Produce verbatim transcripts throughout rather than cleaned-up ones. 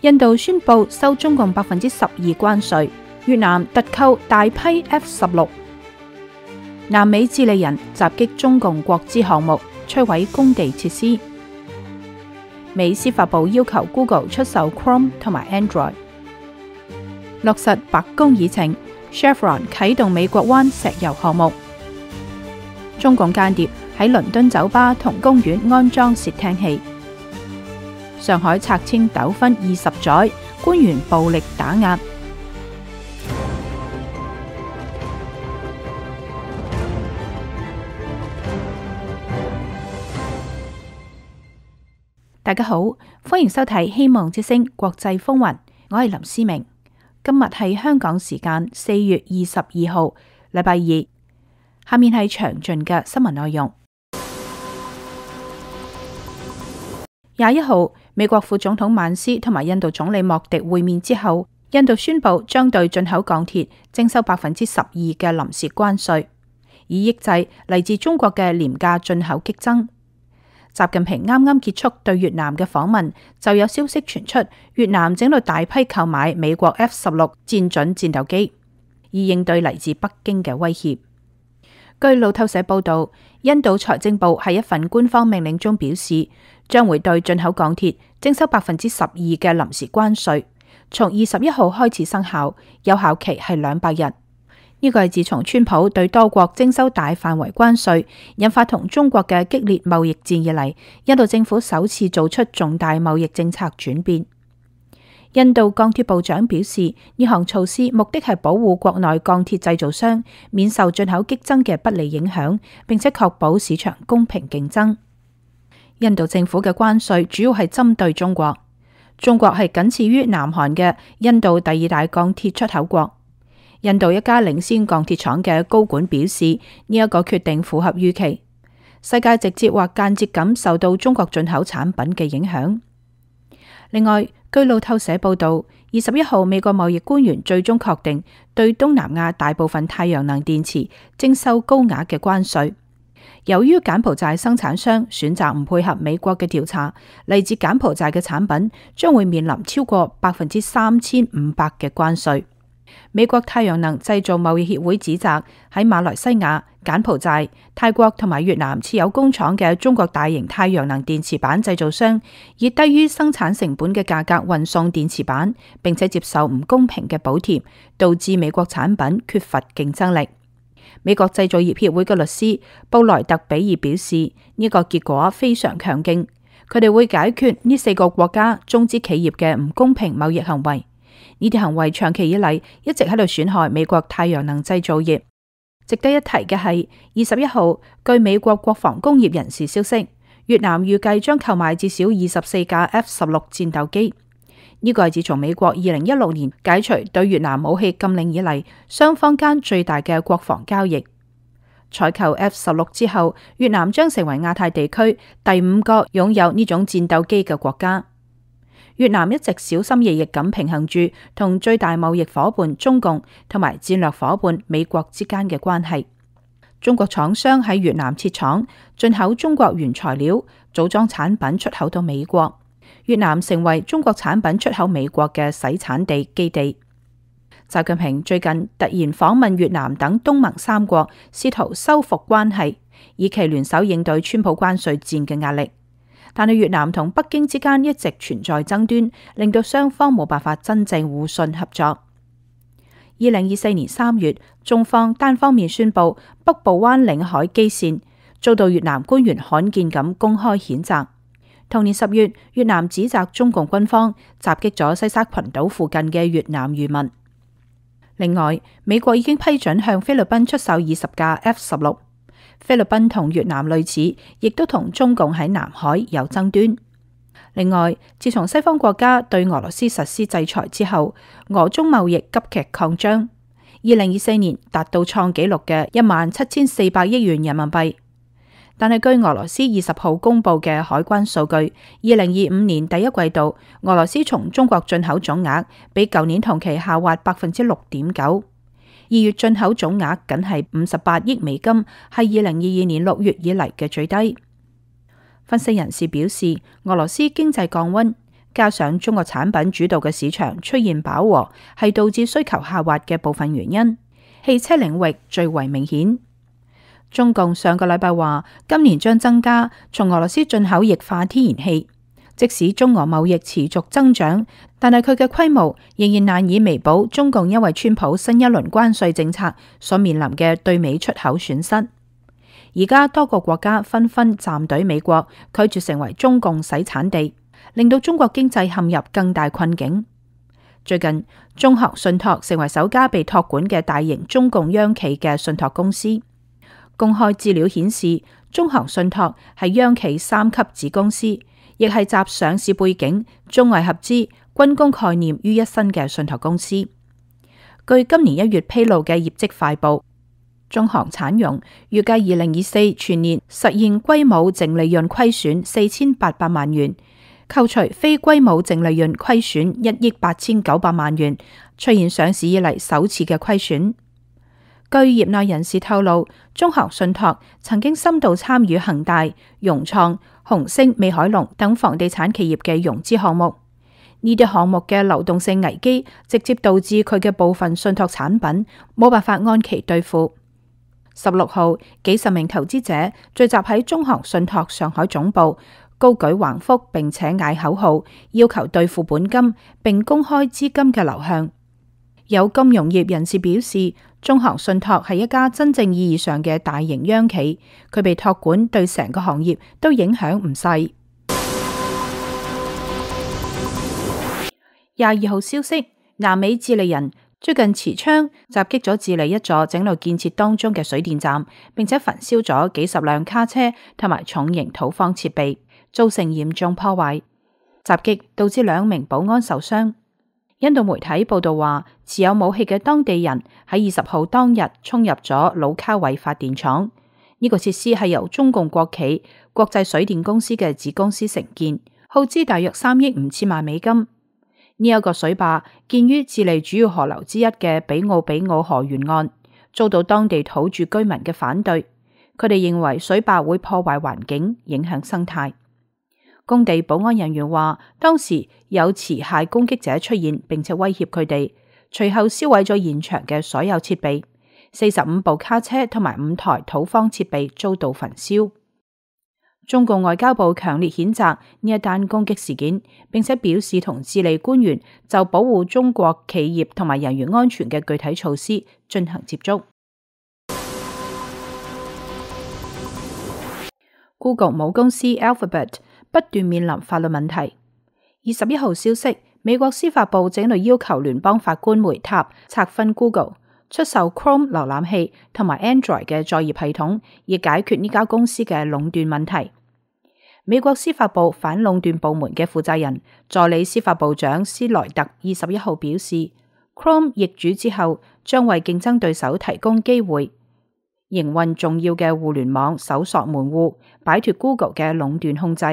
印度宣布收中共百分之十二關稅，越南特購大批 F 十六。南美智利人襲擊中共國資項目，摧毀工地設施。美司法部要求 Google 出售 Chrome 同埋 Android。落實白宮議程 ，Chevron 啟動美國灣石油項目。中共間諜喺倫敦酒吧同公園安裝竊聽器。上海拆遷糾紛二十載，官員暴力打壓。大家好，歡迎收睇《希望之聲》國際風雲，我係林思明。今日係香港時間四月二十二號，禮拜二。下面係詳盡嘅新聞內容。廿一號，美國副總統曼斯同埋印度總理莫迪會面之後，印度宣布將對進口鋼鐵徵收百分之十二嘅臨時關稅，以抑制嚟自中國嘅廉價進口激增。習近平啱啱結束對越南嘅訪問，就有消息傳出越南正喺度大批購買美國 F 十六戰準戰鬥機，以應對嚟自北京嘅威脅。據路透社報道，印度財政部喺一份官方命令中表示，將會對進口鋼鐵徵收百分之十二嘅臨時關稅，從二十一號開始生效，有效期係兩百日。呢個係自從川普對多國徵收大範圍關稅，引發同中國嘅激烈貿易戰以嚟，印度政府首次做出重大貿易政策轉變。印度鋼鐵部長表示，呢項措施目的係保護國內鋼鐵製造商免受進口激增嘅不利影響，並且確保市場公平競爭。印度政府嘅關稅主要係針對中國，中國係僅次於南韓嘅印度第二大鋼鐵出口國。印度一家領先鋼鐵廠嘅高管表示，呢一個決定符合預期。世界直接或間接咁受到中國進口產品嘅影響。另外，據路透社報道，二十一號美國貿易官員最終確定對東南亞大部分太陽能電池徵收高額嘅關稅。由於柬埔寨生產商選擇唔配合美國嘅調查，嚟自柬埔寨嘅產品將會面臨超過百分之三千五百嘅關稅。美國太陽能製造貿易協會指責喺馬來西亞、柬埔寨、泰國同埋越南設有工廠嘅中國大型太陽能電池板製造商，以低於生產成本嘅價格運送電池板，並且接受唔公平嘅補貼，導致美國產品缺乏競爭力。美國製造業協會嘅律師布萊特比爾表示，呢個結果非常強勁，佢哋會解決呢四個國家中資企業嘅唔公平貿易行為。呢啲行為長期以嚟一直喺度損害美國太陽能製造業。值得一提嘅係，二十一號據美國國防工業人士消息，越南預計將購買至少二十四架 F 十六戰鬥機。呢個係自從美國二零一六年解除對越南武器禁令以嚟，雙方間最大嘅國防交易。採購 F 十六之後，越南將成為亞太地區第五個擁有呢種戰鬥機嘅國家。越南一直小心翼翼咁平衡住同最大貿易夥伴中共同埋戰略夥伴美國之間嘅關係。中國廠商喺越南設廠，進口中國原材料，組裝產品出口到美國。越南成為中國產品出口美國嘅洗產地基地。習近平最近突然訪問越南等東盟三國，試圖修復關係，以期聯手應對川普關稅戰嘅壓力。但係越南同北京之間一直存在爭端，令到雙方冇辦法真正互信合作。二零二四年三月，中方單方面宣布北部灣領海基線，遭到越南官員罕見咁公開譴責。同年十月，越南指責中共軍方襲擊咗西沙群島附近嘅越南漁民。另外，美國已經批准向菲律賓出售二十架 F 十六。菲律賓同越南類似，亦都同中共喺南海有爭端。另外，自從西方國家對俄羅斯實施制裁之後，俄中貿易急劇擴張，二零二四年達到創紀錄嘅一萬七千四百億元人民幣。但係據俄羅斯二十號公布嘅海關數據，二零二五年第一季度，俄羅斯從中國進口總額比舊年同期下滑百分之六點九。二月進口總額僅係五十八億美金，係二零二二年六月以嚟嘅最低。分析人士表示，俄羅斯經濟降溫，加上中國產品主導嘅市場出現飽和，係導致需求下滑嘅部分原因。汽車領域最為明顯。中共上個禮拜話，今年將增加從俄羅斯進口液化天然氣。即使中俄貿易持續增長，但係佢嘅規模仍然難以彌補中共因為川普新一輪關稅政策所面臨嘅對美出口損失。而家多個國家紛紛站隊美國，拒絕成為中共洗產地，令到中國經濟陷入更大困境。最近，中航信託成為首家被託管嘅大型中共央企嘅信託公司。公開資料顯示，中航信託係央企三級子公司，亦係集上市背景、中外合資、軍工概念於一身嘅信託公司。據今年一月披露嘅業績快報，中航產融預計二零二四全年實現歸母淨利潤虧損四千八百萬元，扣除非歸母淨利潤虧損一億八千九百萬元，出現上市以嚟首次嘅虧損。據業內人士透露，中航信託曾經深度參與恒大、融創、紅星、美凱龍等房地產企業嘅融資項目，呢啲項目嘅流動性危機直接導致佢嘅部分信託產品冇辦法按期兌付。十六號，幾十名投資者聚集喺中航信託上海總部，高舉橫幅並且嗌口號，要求兌付本金並公開資金嘅流向。有金融業人士表示，中航信託係一家真正意義上嘅大型央企，佢被託管對成個行業都影響唔細。廿二號消息，南美智利人最近持槍襲擊咗智利一座正在建設當中嘅水電站，並且焚燒咗幾十輛卡車同埋重型土方設備，造成嚴重破壞。襲擊導致兩名保安受傷。印度媒體報道話，持有武器嘅當地人喺二十號當日衝入咗魯卡維發電廠。呢個設施係由中共國企國際水電公司嘅子公司承建，耗資大約三億五千萬美金。呢一個水壩建於智利主要河流之一嘅比奧比奧河沿岸，遭到當地土著居民嘅反對。佢哋認為水壩會破壞環境，影響生態。工地保安人員話，當時有持械攻擊者出現，並且威脅佢哋，隨後燒毀咗現場嘅所有設備。四十五部卡車同埋五台土方設備遭到焚燒。中共外交部強烈譴責呢一單攻擊事件，並且表示同智利官員就保護中國企業同埋人員安全嘅具體措施進行接觸。Google 母公司 Alphabet 不斷面臨法律問題。二十一號消息，美國司法部正在要求聯邦法官梅塔拆分 Google 出售 Chrome 瀏覽器同埋 Android 嘅作業系統，以解決呢家公司嘅壟斷問題。美國司法部反壟斷部門嘅負責人助理司法部長斯萊特二十一號表示 ，Chrome 易主之後將為競爭對手提供機會，營運重要嘅互聯網搜索門戶，擺脫 Google 嘅壟斷控制。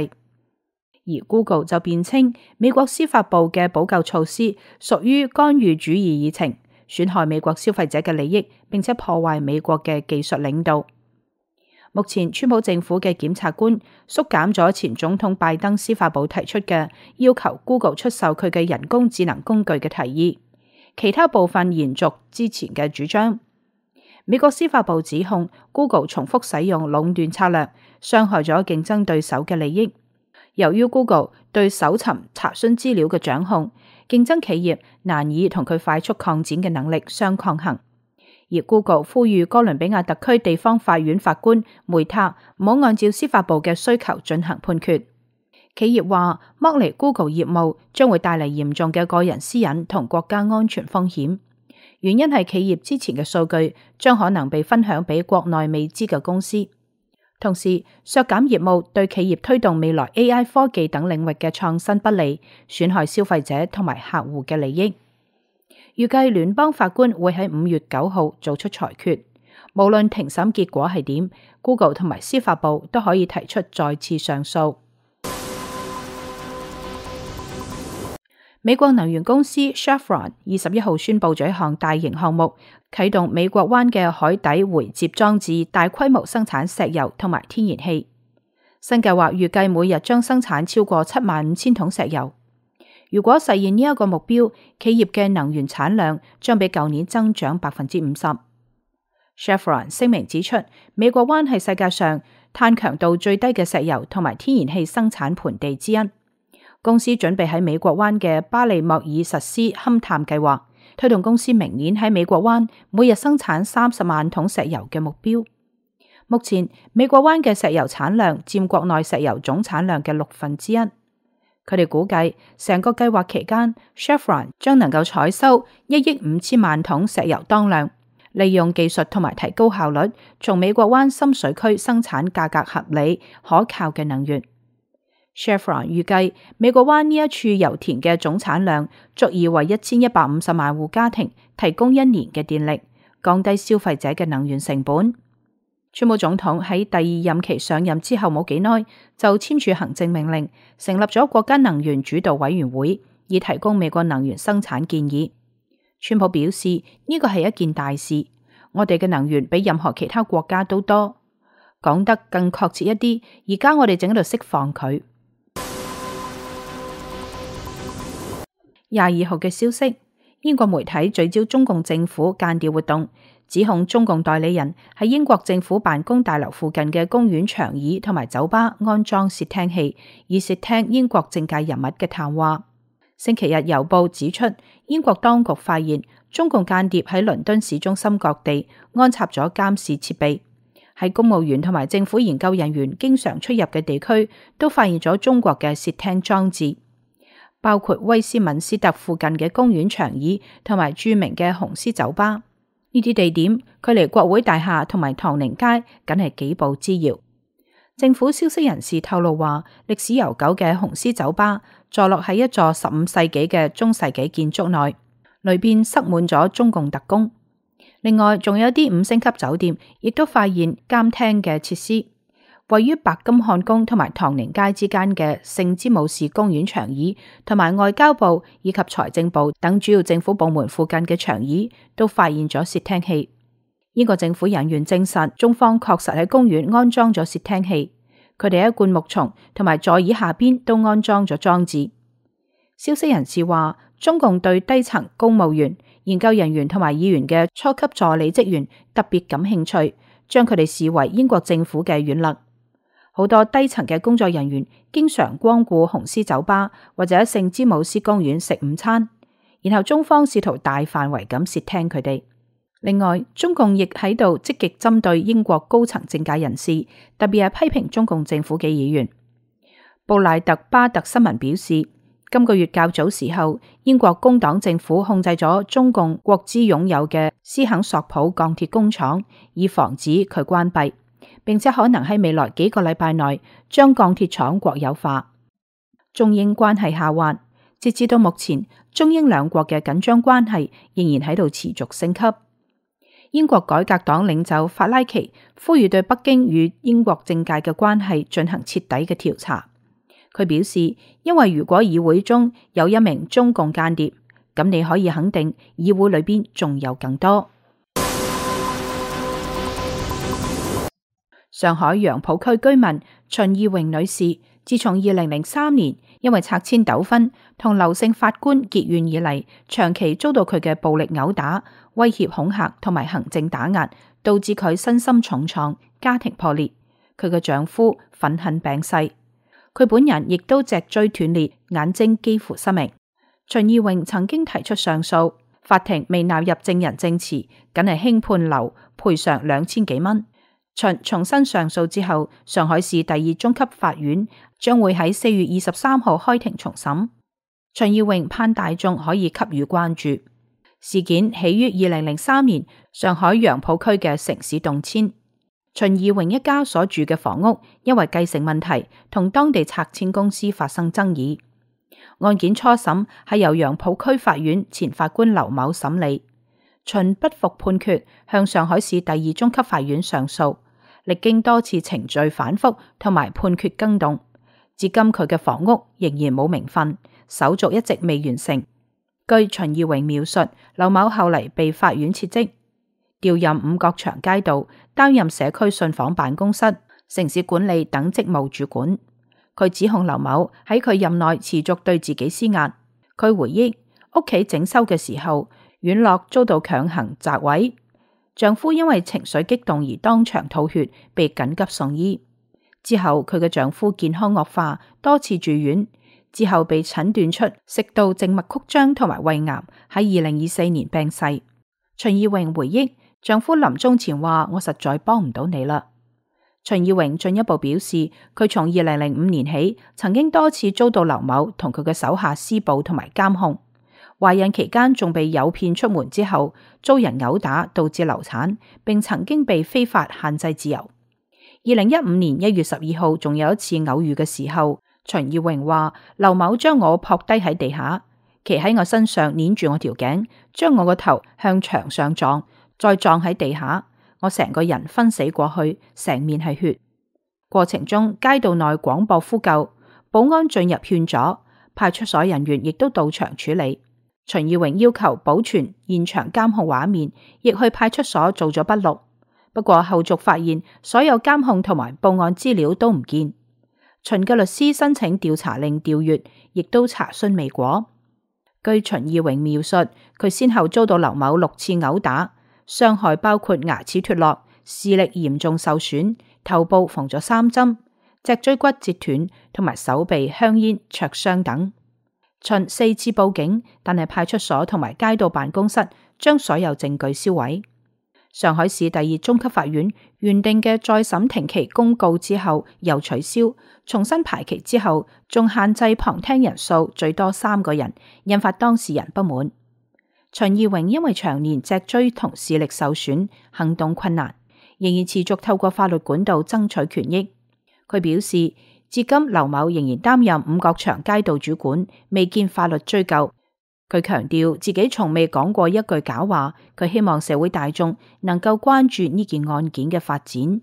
而 Google 就辯稱，美國司法部嘅補救措施屬於干預主義議程，損害美國消費者嘅利益，並且破壞美國嘅技術領導。目前，川普政府嘅檢察官縮減咗前總統拜登司法部提出嘅要求 Google 出售佢嘅人工智能工具嘅提議，其他部分延續之前嘅主張。美國司法部指控 Google 重複使用壟斷策略，傷害咗競爭對手嘅利益。由於 Google 對搜尋查詢資料嘅掌控，競爭企業難以同佢快速擴展嘅能力相抗衡。而 Google 呼籲哥倫比亞特區地方法院法官梅塔唔好按照司法部嘅需求進行判決。企業話，剝離 Google 業務將會帶嚟嚴重嘅個人私隱同國家安全風險。原因係企業之前嘅數據將可能被分享俾國內未知嘅公司。同時，削減業務對企業推動未來 A I 科技等領域嘅創新不利，損害消費者同埋客戶嘅利益。預計聯邦法官會喺五月九號做出裁決，無論庭審結果係點 ，Google 同埋司法部都可以提出再次上訴。美國能源公司 Chevron 二十一號宣布咗一項大型項目，啟動美國灣嘅海底回接裝置，大規模生產石油同埋天然氣。新計劃預計每日將生產超過七萬五千桶石油。如果實現呢一個目標，企業嘅能源產量將比舊年增長百分之五十。Chevron 聲明指出，美國灣係世界上碳強度最低嘅石油同埋天然氣生產盆地之一。公司準備喺美國灣嘅巴利莫爾實施勘探計劃，推動公司明年喺美國灣每日生產三十萬桶石油嘅目標。目前美國灣嘅石油產量佔國內石油總產量嘅六分之一。佢哋估計成個計劃期間 Chevron 將能夠採收一億五千萬桶石油當量，利用技術同埋提高效率，從美國灣深水區生產價格合理可靠嘅能源。Chevron 預計美國灣呢一處油田嘅總產量足以為一千一百五十萬戶家庭提供一年嘅電力，降低消費者嘅能源成本。川普總統喺第二任期上任之後冇幾耐，就簽署行政命令，成立咗國家能源主導委員會，以提供美國能源生產建議。川普表示呢個係一件大事，我哋嘅能源比任何其他國家都多。講得更確切一啲，而家我哋正喺度釋放佢。廿二號嘅消息，英國媒體聚焦中共政府間諜活動，指控中共代理人喺英國政府辦公大樓附近嘅公園長椅同埋酒吧安裝竊聽器，以竊聽英國政界人物嘅談話。星期日郵報指出，英國當局發現中共間諜喺倫敦市中心各地安插咗監視設備，喺公務員同埋政府研究人員經常出入嘅地區都發現咗中國嘅竊聽裝置。包括威斯敏斯特附近嘅公園長椅同埋著名嘅紅絲酒吧，呢啲地點距離國會大廈同埋唐寧街僅係幾步之遙。政府消息人士透露話，歷史悠久嘅紅絲酒吧坐落喺一座十五世紀嘅中世紀建築內，裏邊塞滿咗中共特工。另外，仲有啲五星級酒店亦都發現監聽嘅設施。位於白金漢宮同埋唐寧街之間嘅聖詹姆士公園長椅，同埋外交部以及財政部等主要政府部門附近嘅長椅，都發現咗竊聽器。英國政府人員證實，中方確實喺公園安裝咗竊聽器，佢哋喺灌木叢同埋座椅下邊都安裝咗裝置。消息人士話，中共對低層公務員、研究人員同埋議員嘅初級助理職員特別感興趣，將佢哋視為英國政府嘅軟肋。好多低層嘅工作人員經常光顧紅絲酒吧或者聖詹姆斯公園食午餐，然後中方試圖大範圍咁竊聽佢哋。另外，中共亦喺度積極針對英國高層政界人士，特別係批評中共政府嘅議員。布賴特巴特新聞表示，今個月較早時候，英國工黨政府控制咗中共國資擁有嘅斯肯索普鋼鐵工廠，以防止佢關閉，並且可能喺未來幾個禮拜內將鋼鐵廠國有化。中英關係下滑，截至到目前，中英兩國嘅緊張關係仍然喺度持續升級。英國改革黨領袖法拉奇呼籲對北京與英國政界嘅關係進行徹底嘅調查。佢表示，因為如果議會中有一名中共間諜，咁你可以肯定議會裏邊仲有更多。上海楊浦區居民秦義榮女士，自從二零零三年因為拆遷糾紛同劉姓法官結怨以嚟，長期遭到佢嘅暴力毆打、威脅恐嚇同埋行政打壓，導致佢身心重創、家庭破裂。佢嘅丈夫憤恨病逝，佢本人亦都脊椎斷裂，眼睛幾乎失明。秦義榮曾經提出上訴，法庭未納入證人證詞，僅係輕判劉賠償兩千幾蚊。秦重新上訴之後，上海市第二中級法院將會喺四月二十三號開庭重審。秦義榮盼大眾可以給予關注。事件起於二零零三年上海楊浦區嘅城市動遷。秦義榮一家所住嘅房屋因為繼承問題同當地拆遷公司發生爭議。案件初審係由楊浦區法院前法官劉某審理。秦不服判決，向上海市第二中級法院上訴，歷經多次程序反覆同埋判決更動，至今佢嘅房屋仍然冇名分，手續一直未完成。據秦義榮描述，劉某後嚟被法院撤職，調任五角場街道擔任社區信訪辦公室、城市管理等職務主管。佢指控劉某喺佢任內持續對自己施壓。佢回憶屋企整修嘅時候，院落遭到強行砸毀，丈夫因為情緒激動而當場吐血，被緊急送醫。之後佢嘅丈夫健康惡化，多次住院，之後被診斷出食道靜脈曲張同埋胃癌，喺二零二四年病逝。秦義榮回憶丈夫臨終前話：我實在幫唔到你啦。秦義榮進一步表示，佢從二零零五年起，曾經多次遭到劉某同佢嘅手下施暴同埋監控。懷孕期間仲被誘騙出門之後，遭人毆打導致流產，並曾經被非法限制自由。二零一五年一月十二號，仲有一次偶遇嘅時候，秦義榮話劉某將我撲低喺地下，騎喺我身上捏住我條頸，將我個頭向牆上撞，再撞喺地下，我成個人昏死過去，成面係血。過程中街道內廣播呼救，保安進入勸阻，派出所人員亦都到場處理。秦義榮要求保存現場監控畫面，亦去派出所做咗筆錄。不過後續發現所有監控同埋報案資料都唔見。秦嘅律師申請調查令調閱，亦都查詢未果。據秦義榮描述，佢先後遭到劉某六次毆打，傷害包括牙齒脫落、視力嚴重受損、頭部縫咗三針、脊椎骨折斷同埋手臂香煙灼傷等。秦四次報警，但係派出所同埋街道辦公室將所有證據銷毀。上海市第二中級法院原定嘅再審庭期公告之後又取消，重新排期之後仲限制旁聽人數最多三個人，引發當事人不滿。秦義榮因為長年脊椎同視力受損，行動困難，仍然持續透過法律管道爭取權益。佢表示，至今劉某仍然擔任五角場街道主管，未見法律追究。佢強調自己從未講過一句假話，佢希望社會大眾能夠關注呢件案件嘅發展。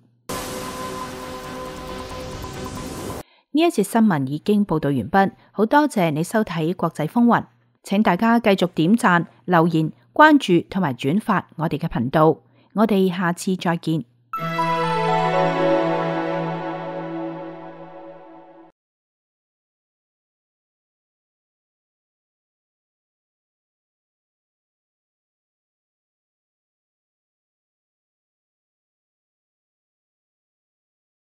呢一節新聞已經報道完畢，好多謝你收睇國際風雲，請大家繼續點讚、留言、關注同埋轉發我哋嘅頻道，我哋下次再見。